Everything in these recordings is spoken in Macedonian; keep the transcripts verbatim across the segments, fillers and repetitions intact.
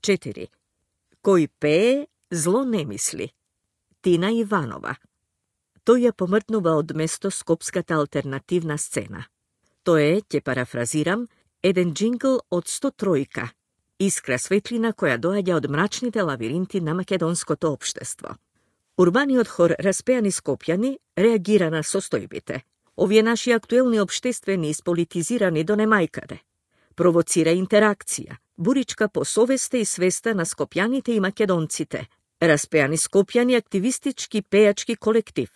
четири. Кој пее, зло не мисли. Тина Иванова. Тој ја помртнува од место скопската алтернативна сцена. Тоа е, ќе парафразирам, еден джингл од сто тројка, искра светлина која доаѓа од мрачните лавиринти на македонското општество. Урбаниот хор Распеани Скопјани реагира на состојбите. Овие наши актуелни општествени исполитизирани до немајкаде. Провоцира интеракција, буричка по совеста и свеста на скопјаните и македонците. Распеани Скопјани активистички пејачки колектив,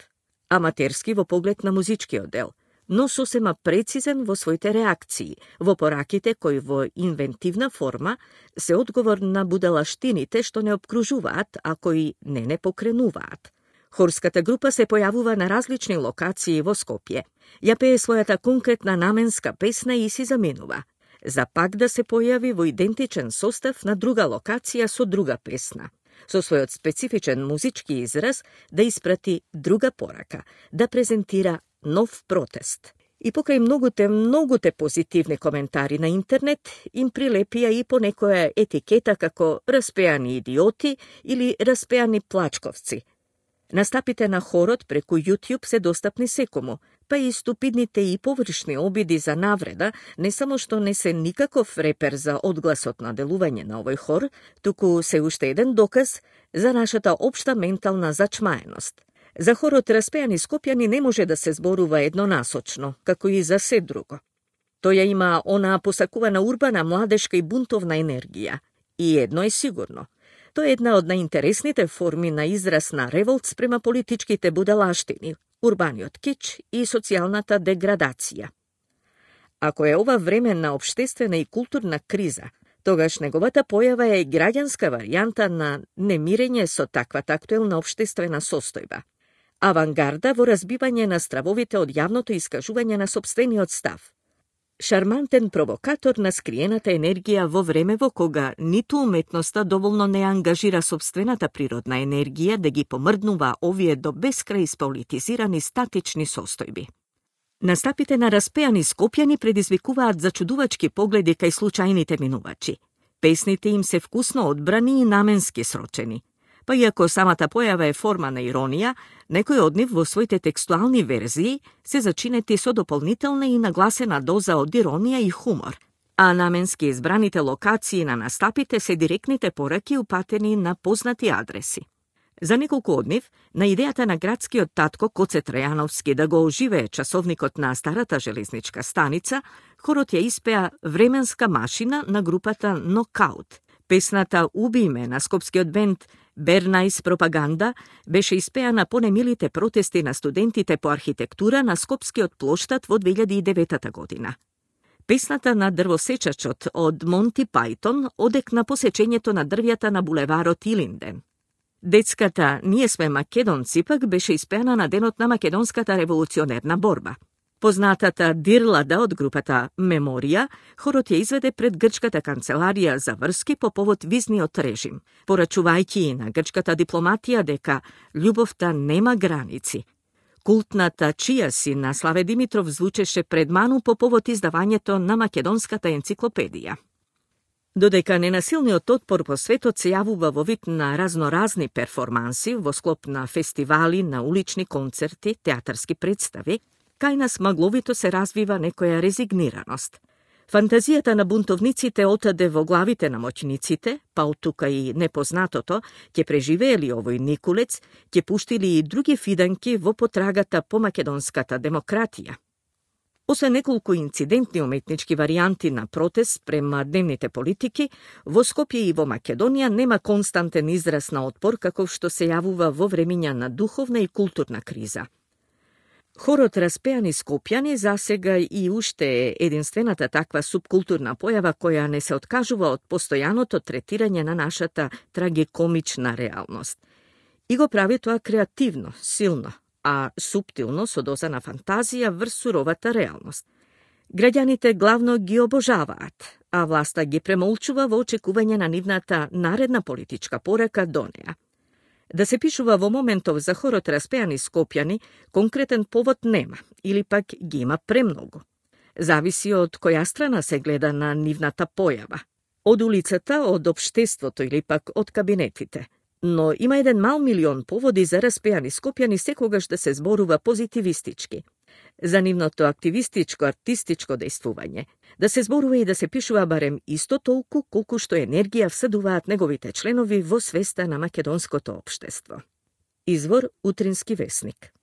аматерски во поглед на музичкиот дел, но сосема прецизен во своите реакции, во пораките кои во инвентивна форма се одговор на будалаштините што не обкружуваат, а кои не не покренуваат. Хорската група се појавува на различни локации во Скопје. Ја пее својата конкретна наменска песна и си заминува, за пак да се појави во идентичен состав на друга локација со друга песна, со својот специфичен музички израз да испрати друга порака, да презентира нов протест. И покрај многуте, многуте позитивни коментари на интернет, им прилепија и по некоја етикета како распеани идиоти или распеани плачковци. Настапите на хорот преку YouTube се достапни секому, па и ступидните и површни обиди за навреда не само што не се никаков репер за одгласот на делување на овој хор, туку се уште еден доказ за нашата општа ментална зачмаеност. За хорот Распеани Скопјани не може да се зборува еднонасочно, како и за се друго. Тој има онаа посакувана урбана, младешка и бунтовна енергија. И едно е сигурно. Тоа е една од најинтересните форми на израз на револт спрема политичките будалаштини, урбаниот кич и социјалната деградација. Ако е ова време на општествена и културна криза, тогаш неговата појава е граѓанска варијанта на немирење со таквата актуелна општествена состојба. Авангарда во разбивање на стравовите од јавното искажување на сопствениот став. Шармантен провокатор на скриената енергија во време во кога ниту уметноста доволно не ангажира сопствената природна енергија да ги помрднува овие до бескрај исполитизирани статични состојби. Настапите на Распеани Скопјани предизвикуваат зачудувачки погледи кај случајните минувачи. Песните им се вкусно одбрани и наменски срочени. Па иако самата појава е форма на иронија, некои од нив во своите текстуални верзии се зачинети со дополнителна и нагласена доза од иронија и хумор, а наменски избраните локации на настапите се директните пораки упатени на познати адреси. За неколку од нив, на идејата на градскиот татко Коце Трајановски да го оживее часовникот на старата железничка станица, хорот ја испеа временска машина на групата Нокаут. Песната "Уби ме" на скопскиот бенд Бернајс Пропаганда беше испеана по немилите протести на студентите по архитектура на скопскиот плоштад во две илјади и девета година. Песната на дрвосечачот од Монти Пајтон одекна посечењето на дрвјата на булеварот Илинден. Детската "Ние сме македонци" пак беше испеана на денот на македонската револуционерна борба. Познатата Дирлада од групата Меморија, хорот ја изведе пред грчката канцеларија за врски по повод визниот режим, порачувајќи на грчката дипломатија дека љубовта нема граници. Култната "Чија си" на Славе Димитров звучеше предману по повод издавањето на македонската енциклопедија. Додека ненасилниот отпор по светот се јавува во вид на разноразни перформанси во склоп на фестивали, на улични концерти, театарски представи, кај нас магловито се развива некоја резигнираност. Фантазијата на бунтовниците отаде во главите на моќниците, па од тука и непознатото, ќе преживеели овој Никулец, ќе пуштили и други фиданки во потрагата по македонската демократија. Освен неколку инцидентни уметнички варијанти на протест према дневните политики, во Скопје и во Македонија нема константен израз на отпор каков што се јавува во времиња на духовна и културна криза. Хорот Распеани Скопјани засега и уште е единствената таква субкултурна појава која не се откажува од постојаното третирање на нашата трагикомична реалност. И го прави тоа креативно, силно, а суптилно со доза на фантазија врз суровата реалност. Граѓаните главно ги обожаваат, а власта ги премолчува во очекување на нивната наредна политичка порака до неа. Да се пишува во моментов за хорот Распеани Скопјани, конкретен повод нема, или пак ги има премногу. Зависи од која страна се гледа на нивната појава. од улицата, од општеството или пак од кабинетите. Но има еден мал милион поводи за распејани скопјани секогаш да се зборува позитивистички. За нивното активистичко, артистичко дејствување, да се зборува и да се пишува барем исто толку колку што енергија всадуваат неговите членови во свеста на македонското општество. Извор Утрински весник.